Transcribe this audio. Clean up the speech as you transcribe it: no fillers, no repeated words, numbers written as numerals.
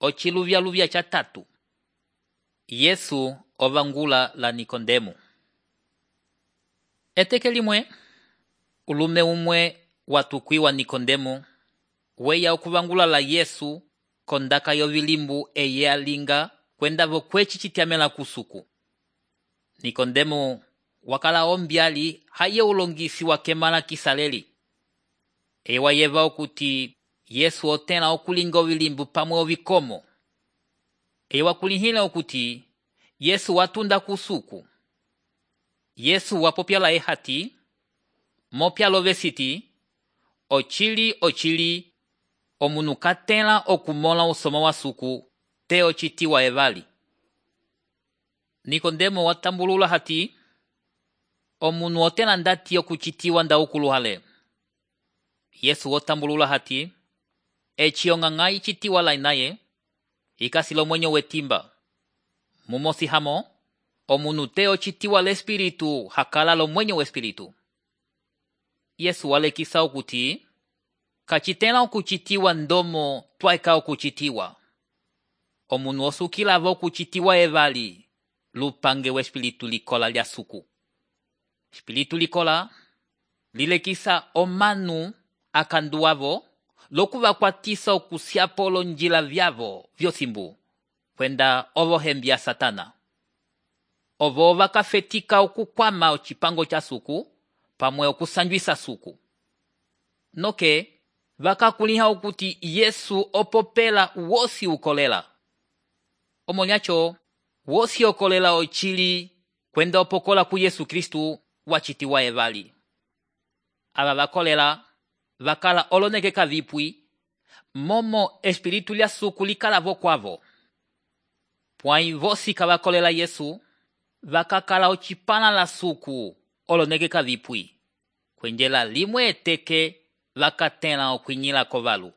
Ociluvyaluvya ca tatu. Yesu ovangula la Nikodemo. Eteke limwe, ulume umwe watukwiwa Nikodemo weya okuvangula la Yesu kondaka yovilimbu eye alinga kwenda vokweci citiamela kusuku. Nikodemo wakala ombyali haye ulongisi wa kemala kisaleli. Ewa yeva okuti Yesu otela okulinga ovilimbu pamwe ovikomo. Ewa kulihila okuti Yesu watunda kusuku. Yesu wapopyala ehati, mopyalo vesiti, ochili, omunu katela okumola usoma wa suku, te ocitiwa evali. Nikodemo watambulula hati, omunu otela ndati okucitiwa nda ukuluhale. Yesu watambulula hati, echiongangai citiwa lainaye, ikasilo mwenyo wetimba. Mumosi hamo, omunu te ocitiwa l'espiritu hakala lo mwenyo w'espiritu. Yesu walekisa okuti, kacitela okucitiwa ndomo twaeka okucitiwa. Omunu osukila vo okucitiwa evali, lupange w'espiritu likola lya suku. Espiritu likola, lilekisa omanu akanduavo, lokuvakwatisa okusiapo lonjila vyavo vyosimbu, kwenda ovo hembia Satana. Ovo vakafetika okukwama ocipango cha suku, pamwe okusanjwisa suku. Noke, vakakuliha okuti Yesu opopela wosi ukolela. Omolyacho, wosi okolela ochili kwenda opokola ku Yesu Kristu wachitiwa evali. Aba vakolela, vakala olonekeka vipwi, momo espiritu lya suku likala vokwavo. Pwai vosi kavakolela Yesu, vakakala ocipana la suku olonekeka vipwi. Kwenjela limwe eteke vakatela okwinyila kovalu.